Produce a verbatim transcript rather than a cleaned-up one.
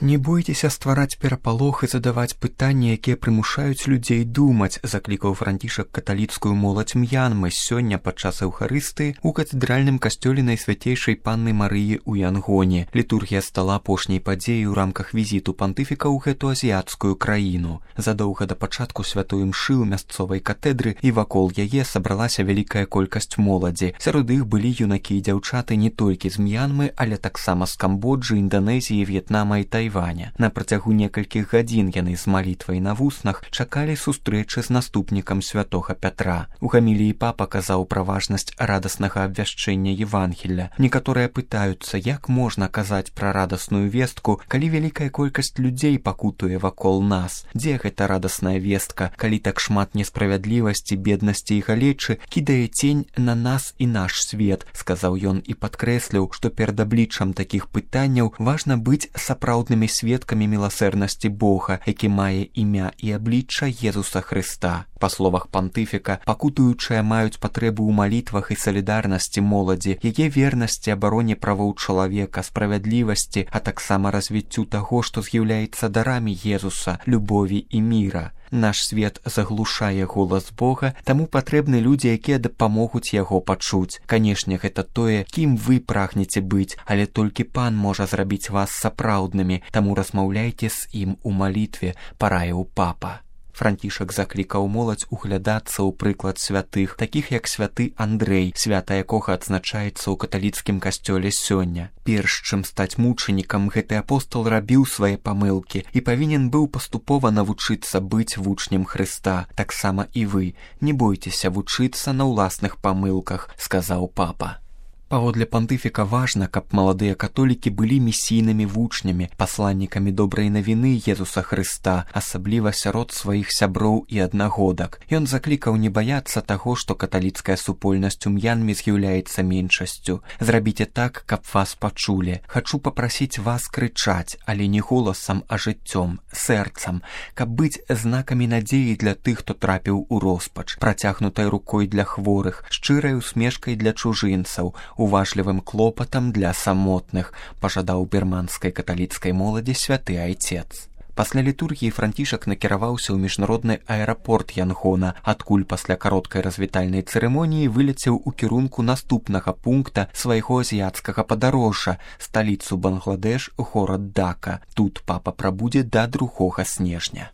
Не бойцеся ствараць перапалох і задаваць пытанні, якія прымушаюць людзей думаць, заклікаў Францішак каталіцкую моладзь М'янмы сёння падчас эўхарыстыі ў катэдральным касцёле Найсвяцейшай Панны Марыі ў Янгоне. Літургія стала апошняй падзеяй у рамках візіту пантыфіка ў гэту азіяцкую краіну. Задоўга да пачатку святой імшы ў мясцовай катэдры і вакол яе сабралася вялікая колькасць моладзі. Сярод іх былі юнакі і дзяўчаты не толькі з М'янмы, але таксама з Камбоджы, Інданезіі, В'етнама і Тайваня. На працягу некалькіх гадзін яны з малітвай на вуснах чакалі сустрэчы з наступнікам святога Пятра. У гаміліі папа казаў пра важнасць радаснага абвяшчэння Евангелля. Некаторыя пытаюцца, як можна казаць пра радасную вестку, калі вялікая колькасць людзей пакутуе вакол нас. Дзе гэта радасная вестка, калі так шмат несправядлівасці, беднасці і галечы кідае цень на нас і наш свет, сказаў ён і падкрэсліў, што перад абліччам такіх пытанняў важна быць сапраўдным сведкамі міласэрнасці Бога, які мае імя і аблічча Езуса Хрыста. Па словах пантыфіка, пакутуючыя маюць патрэбу ў малітвах і салідарнасці моладзі, яе вернасці абароне правоў чалавека, справядлівасці, а таксама развіццю таго, што з'яўляецца дарамі Езуса, любові і міра. Наш свет заглушае голас Бога, таму патрэбны людзі, якія дапамогуць яго пачуць. Канешне, гэта тое, кім вы прагнеце быць, але толькі Пан можа зрабіць вас сапраўднымі, таму размаўляйце з ім у малітве, параіў папа. Францішак заклікаў моладзь углядацца ў прыклад святых, такіх як святы Андрэй, свята якога адзначаецца ў каталіцкім касцёле сёння. Перш чым стаць мучанікам, гэты апостол рабіў свае памылкі і павінен быў паступова навучыцца быць вучнем Хрыста. Таксама і вы не бойцеся вучыцца на ўласных памылках, сказаў папа. Паводле пантыфіка важна, каб маладыя католікі былі місійнымі вучнямі, пасланнікамі добрай навіны Езуса Хрыста, асабліва сярод сваіх сяброў і аднагодак. Ён заклікаў не баяцца таго, што каталіцкая супольнасць у М'янме з'яўляецца меншасцю. Зрабіце так, каб вас пачулі. Хачу папрасіць вас крычаць, але не голасам, а жыццём, сэрцам, каб быць знакамі надзеі для тых, хто трапіў у роспач, працягнутай рукой для хворых, шчырай усмешкай для чужынцаў, уважлівым клопатам для самотных, пажадаў бірманскай каталіцкай моладзі святы айцец. Пасля літургіі Францішак накіраваўся ў міжнародны аэрапорт Янгона, адкуль пасля кароткай развітальнай цырымоніі вылецеў у кірунку наступнага пункта свайго азіяцкага падарожжа, сталіцу Бангладеш, горад Дака. Тут папа прабудзе да другога снежня.